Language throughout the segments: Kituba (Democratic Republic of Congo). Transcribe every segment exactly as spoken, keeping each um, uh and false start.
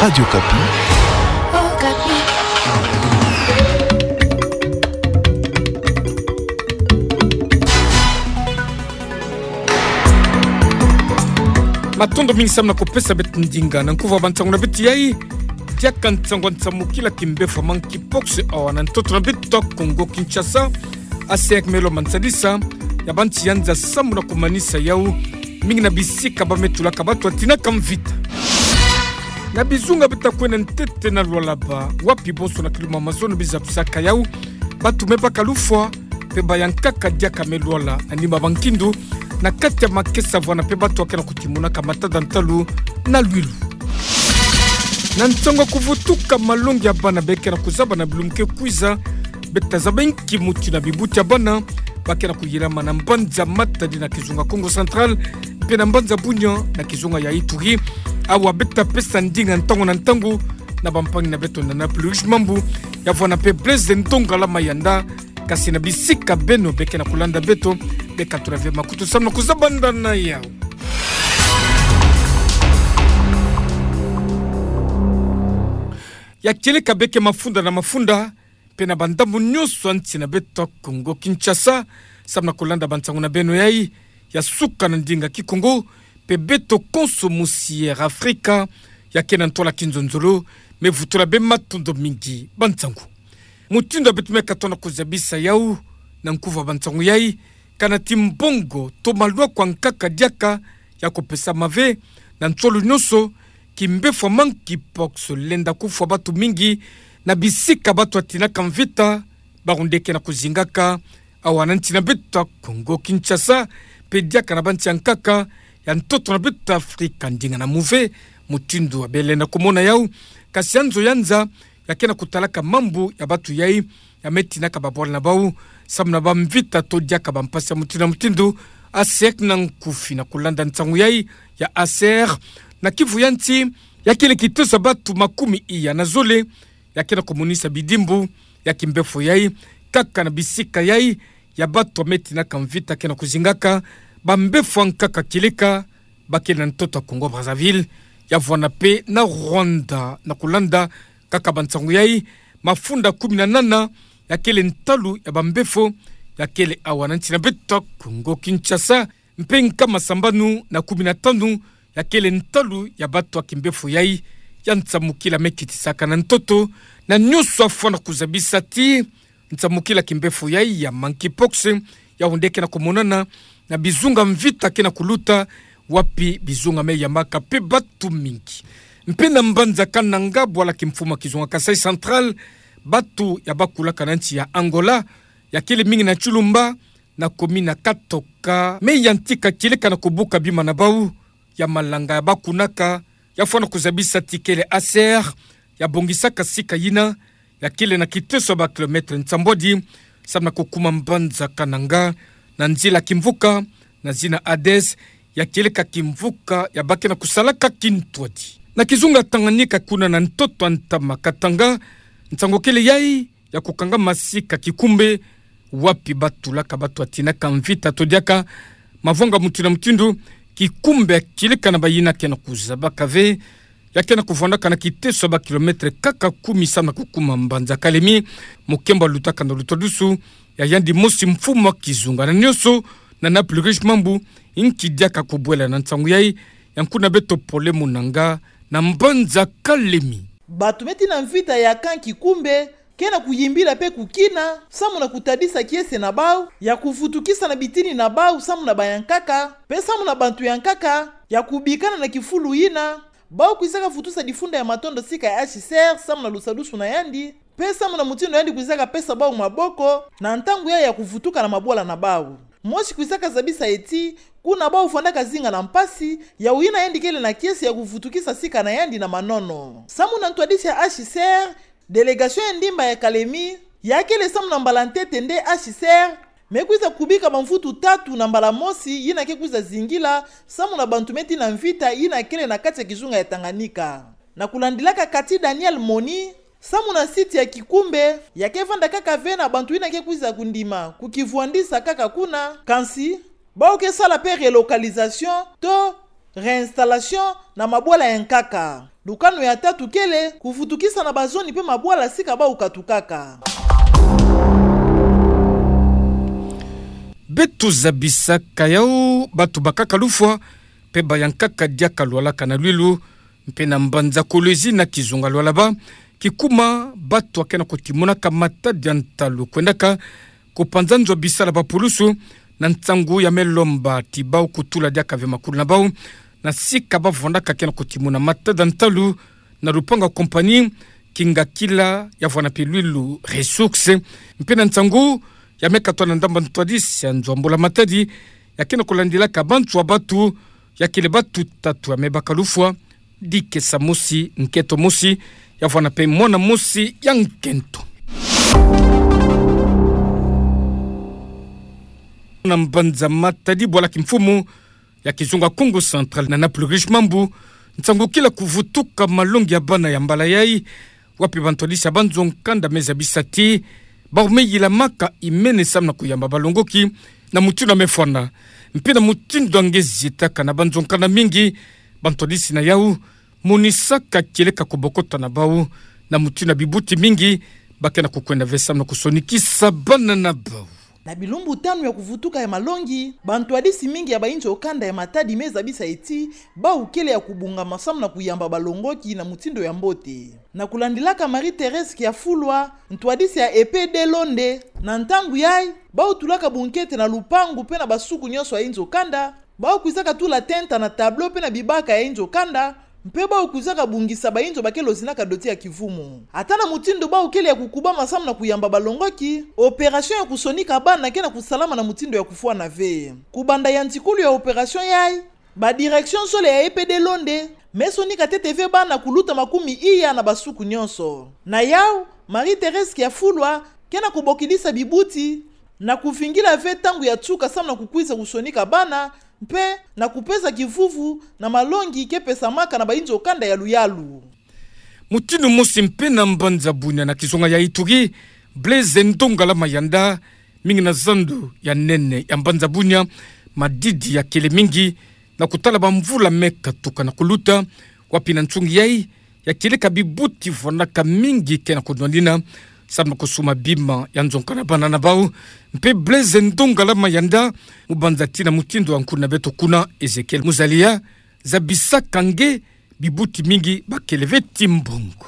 Radio Okapi. Matondo mingi samu na kupesa beto ndinga na nkuva bansangu na beto yai. Diaka nsangu nsamukila kimbefo ya monkeypox awa na ntoto na beto Kongo Kinshasa. ACR me lo mansadisa ya bansi ya nza samu na kumanisa yau mingi na bisika ba me tulaka bato ya tinaka mvita. Na bizunga bita kwenda ntete na Lualaba, wapi bonso na kiluma Amazone biza tusaka yau, bato me baka lufwa, mpe bayankaka diaka me lwala na nima ba nkindu, na kati ya makesa vwanda mpe bato ya ke na kutimonaka matada ntalu na lwilu. Na nsangu ya kuvutuka malongi ya bana ba ke na kuzaba na bilumbu ke kwiza, beta zaba inki muti na bibuti ya bana ba ke na kuyilama na mbanza Matadi na kizunga Kongo Central, mpe na mbanza Bunia na kizunga ya Ituri. Awa beta pesa ndinga ntangu na ntangu na bampangi na beto na Naples Rouge Mambu, ya vwanda mpe Blaise Ndongala Mayanda, kasi na bisika beno ba ke na kulanda beto, beka tula ve makutu samu na kuzabanda na yau. Ya kieleka ba ke mafunda na mafunda, mpe na bandambu nyonso ya nsi na beto Kongo Kinshasa, samu na kulanda bansangu na beno yai, ya suka na ndinga Kikongo, mpe beto konso musi Air Afrika, ya ke na ntwala kinzonzolo, me vutula be matondo mingi bansangu. Mutindu ya beto me katondo kuzabisa yau, na nkuva bansangu yai, kana ti mbongo, to malwako ya nkaka diaka ya kupesama ve, na nsolo nyonso, kimbefo ya monkeypox lenda kufwa bato mingi, na bisika bato ya tinaka mvita, bawu nde ke na kuzingaka, awa na nsi na beto Kongo Kinshasa, mpe diaka na bansi ya nkaka, ya ntoto na beto Afrika ndinga na muve, mutindu ya bele na kumona yau, kasi ya nzo ya nza, ya ke na kutalaka mambu ya bato yai, ya me tinaka babwala na bawu, samu na bamvita to diaka bampasi ya mutindu na mutindu, ACR na nkufi na kulanda nsangu yai, ya ACR, na kivu ya nsi, ya kele kitosa bato makumi iya na zole, ya ke na kumonisa bidimbu, ya kimbefo yai, kaka na bisika yai, ya bato ya me tinaka mvita ke na kuzingaka, bambefo ya nkaka kieleka, ba kele na ntoto ya Congo Brazzaville, ya vwanda mpe na Rwanda na kulanda kaka bansangu yai, mafunda kumi na nana, ya kele ntalu ya bambefo, ya kele awa na nsi na beto Congo Kinshasa, mpe nkama sambanu na kumi na tanu, ya kele ntalu ya bato ya kimbefo yai, ya nsamukila me kitisaka na ntoto, na nyonso afwana kuzabisa ti, nsamukila kimbefo yai ya monkeypox, yawu nde ke na kumonana, na bizunga mvita ke na kuluta, wapi bizunga me yamaka mpe bato mingi. Mpe na mbanza Kananga, bwala kimfumu ya kizunga Kasaï Central, bato ya bakulaka na nsi ya Angola, ya kele mingi na Tshilumba, na commune ya Katoka, me yantika kieleka na kubuka bima na bawu, ya malanga ya bakunaka, ya fwana kuzabisa ti kele ACR, ya bongisaka sika yina, ya kele na kiteso ya ba kilomètre nsambwadi, samu na kukuma mbanza Kananga, na nzila kimvuka, na zina Ades, ya kieleka kimvuka, ya ba ke na kusalaka kintwadi. Na kizunga Tanganyika kuna na ntoto ya ntama Katanga, nsangu kele yai, ya kukangama sika Kikumbe, wapi batulaka bato ya tinaka mvita to diaka mavwanga mutindu na mutindu, Kikumbe ya kieleka na bayina ke na kuzabaka ve, ya ke na kuvwandaka na kiteso ya ba kilomètre kaka kumi samu na kukuma mbanza Kalemi, mukembo ya lutaka na lutwadusu ya yandi mosi mfumu ya kizunga na nyonso, na Naples Rouge Mambu, inki diaka kubwela na nsangu yai, ya nkuna beto Pole Munanga, na mbanza Kalemi. Bato me tina mvita ya camp Kikumbe, ke na kuyimbila mpe kukina, samu na kutadisa kiese na bawu, ya kuvutukisa na bitini na bawu samu na bayankaka, mpe samu na bantu yankaka, ya kubikana na kifulu yina, bawu kwizaka vutusa difunda ya matondo sika ya H C R, samu na lusadusu na yandi, mpe samu na mutindu yandi kwizaka pesa bawu maboko, na ntangu yai ya kuvutuka na mabwala na bawu. Mosi kwizaka zabisa ye ti, kuna bawu fwandaka zinga na mpasi, yawu yina yandi kele na kiese ya kuvutukisa sika na yandi na manono. Samu na ntwadisi ya H C R, délégation ya ndimba ya Kalemi, ya kele samu na mbala ntete nde H C R me kwiza kubika bamvutu tatu na mbala mosi yina ke kwiza zingila, samu na bantu me tina mvita yina kele na kati ya kizunga ya Tanganyika. Na kulandilaka Cathy Daniel Moni, samu na site ya Kikumbe, ya ke vanda kaka ve na bantu yina ke kwiza kundima kukivwandisa kaka kuna, kansi, bawu ke sala mpe relocalisation, to réinstallation na mabwala ya nkaka. Lukanu ya tatu kele kuvutukisa na bazoni mpe mabwala sika bau katukaka. Beto zabisaka yau, bato bakaka lufwa mpe bayankaka diaka lwalaka na lwilu, mpe na mbanza Kolwezi na kizunga Lualaba, kikuma bato akena kotimonaka matadi ya ntalu kwendaka kupanza nzo bisala ba pulusu, na nsangu ya me lomba ti bau kutula diaka ve makulu na bau, na sika bavwandaka kena kotimona matadi ya ntalu na lupangu ya compagnie Kingakila ya vwanda mpe lwilu Ressources, mpe na nsangu ya me katwa na ndambu ya ntwadisi ya nzo ya mbula matadi, ya kena kolandilaka banzo ya bato, ya kele bato tatu ya me baka lufwa, dikesa mosi, nketo mosi, ya vwanda mpe mwana mosi ya nkento. Na mbanza Matadi, bwala kimfumu ya kizunga Kongo Central, na Nana Plurish Mambu, nsangu kila kuvutuka malongi ya bana ya mbala yai, wapi bantwadisi ya banzo nkanda me zabisa ti bau me yilamaka imene samu na kuyamba balongoki na mutindu ya me fwana. Mpe na mutindu ya nge zitaka na banzo nkanda mingi, bantwadisi na yau monisaka kieleka kubokota na bau na mutindu ya bibuti mingi bakena kukwenda ve samu na kusonikisa bana na bau. Na bilumbu tanu ya kuvutuka ya malongi, bantwadisi mingi ya bainzo kanda ya Matadi me zabisa ti bau kele ya kubongama samu na kuyamba balongoki na mutindu ya mbote. Na kulandilaka Marie-Thérèse Kiafulwa, ntwadisi ya E P D Londe, na ntangu yai, bau tulaka bunkete na lupangu mpe na basuku nyonso ya inzo kanda, bau kwizaka tula tenta na tableau mpe na bibaka ya inzo kanda, mpe bau kwizaka bongisa bainzo bakele ozinaka doti ya kivumu. Ata na mutindu bau kele ya kukubama samu na kuyamba balongoki, opération ya kusonika bana kena kusalama na mutindu ya kufwana ve. Kubanda yantikulu ya opération yai, ba direction sole ya E P D Londe me sonika ntete ve bana kuluta makumi iya na basuku nyonso. Na yau, Marie-Thérèse Kiafulwa kena kubokidisa bibuti na kuvingila ve ntangu ya nsuka samu na kukwiza kusonika bana, mpe na kupesa kivuvu na malongi ke pesamaka na bainzo kanda ya luyalu. Mutindu mosi mpe na mbanza Bunia na kizunga ya Ituri, Blaise Ndongala Mayanda, mingi na zandu ya nene ya mbanza Bunia, madidi ya kele mingi na kutala bamvula me katuka na kuluta, wapi na nsungi yai, ya kieleka bibuti vwanaka mingi kena kunwanina samu na kusuma bima ya nzo nkanda bana na bau. Mpe Blaise Ndongala Mayanda, mubanza ti na mutindu ya nkulu na beto kuna, Ezekiel Muzalia, zabisaka nge bibuti mingi bakele ve ti mbongo.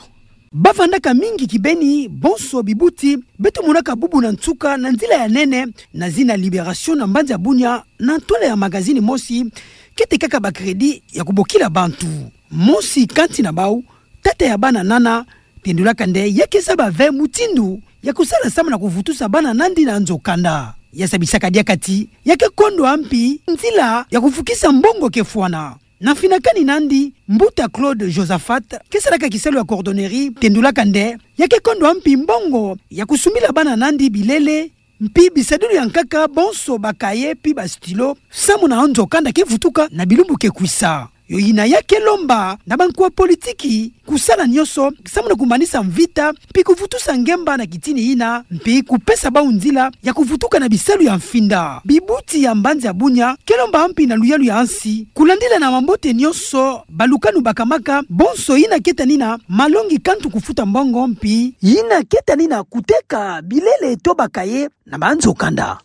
Bavandaka mingi kibeni bonso bibuti beto monaka bubu na nsuka na nzila ya nene, na zina Libération na mbanza Bunia, na ntwala ya magazine mosi, ke tekaka ba crédit ya kubokila bantu. Mosi kati na bau, tata ya bana nana, tendulaka nde ya ke zaba ve mutindu ya kusala samu na kuvutusa bana nandi na nzo kanda. Ya zabisaka diaka ti ya ke kondwa mpi nzila ya kufukisa mbongo ke fwana. Na mfinakani nandi, mbuta Claude Josaphat, ke salaka kisalu ya coordonnerie, tendulaka nde ya ke kondwa mpi mbongo ya kusumbila bana nandi bilele, mpi bisadulu ya nkaka, bonso ba cahier mpi ba stylo, samu na nzo kanda ke vutuka na bilumbu ke kwisa. Yo yina ya ke lomba na bankuwa politiki kusala nyonso samu na kumanisa mvita, mpi kuvutusa ngemba na kitini yina, mpi kupesa bau nzila ya kuvutuka na bisalu ya mfinda. Bibuti ya mbanza Bunia ke lomba mpi na luyalu ya nsi kulandila na mambote nyonso balukanu bakamaka, bonso yina ke tanina malongi kantu kufuta mbongo, mpi yina ke tanina kuteka bilele to ba cahier na banzo kanda.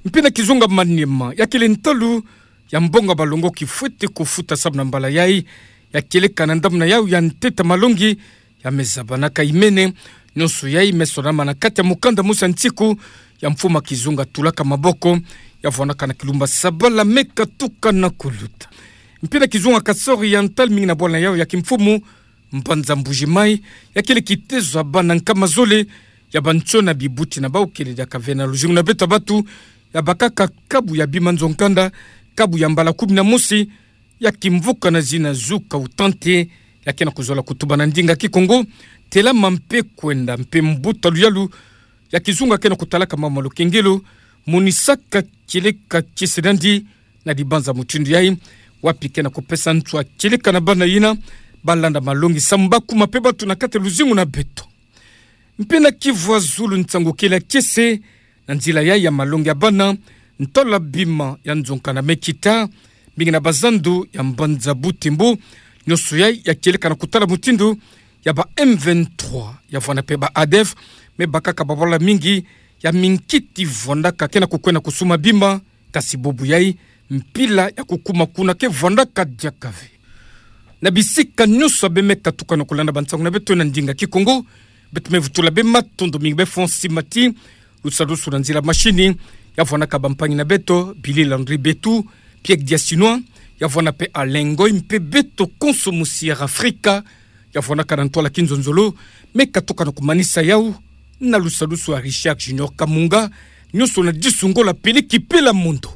Mpi na kizunga Maniema, ya kele ntalu ya mbongo ya balongoki fwete kufuta samu na mbala yai, ya kieleka na ndambu na yau ya ntete malongi ya me zabanaka imene. Nyonso yai me sonama na kati ya mukanda mosi ya nsiku ya mfumu ya kizunga Tulaka Maboko, ya vwanaka na kilumbu sabala me katuka na kuluta. Mpi na kizunga Kasaï Oriental, mingi na bwala na yau ya kimfumu, mbanza Mbuji-Mayi, ya kele kitezo ya bana nkama zole ya bantsona bibuti na bau kele diaka ve na luzingu na beto ya batu, ya bakaka kabu ya bima nzo nkanda, kabu ya mbala kumi na mosi, ya kimvuka na zina Zuka Utante, ya kena kuzola kutuba na ndinga Kikongo, telama mpe kwenda. Mpe mbuta luyalu ya kizunga kena kutalaka mama Lukengelo, monisaka kieleka kiese nandi na dibanza mutindu yai, wapi kena kupesa nswa kieleka na bana yina balanda malongi samu bakuma mpe batu na kati ya luzingu na beto. Mpe na Kivu ya zulu, nsangu kele ya kiese na nzila yai ya malongi ya bana, ntola bima ya nzo nkanda me kita, Mingi na bazandu ya mbanza Butembo, nionso yai ya kieleka na kutala mutindu ya ba M vingt-trois, ya vwanape ba ADF, me bakaka babala mingi ya minkiti vwandaka ke na kukwenda kusuma bima, kasi bubu yai, mpila ya kukuma kuna ke vwandaka diaka ve. Na bisika nionso ya bemeka tukana kulanda bansangu na beto na ndinga Kikongo, beto mevutula be matondo mingi be Fonsi Mati, lusalusu na nzila mashini, ya vwanaka bampangi na beto, Billy Landry Betu, Pierre Diasinois, ya vwanape Alain Ngoy, mpe beto konso musi Air Afrika, ya vwanaka na ntwala kinzonzolo, meka tukana kumanisa yau, na lusalusu ya Richard Junior Kamunga, nionso na disu ngola pele kipela mondo.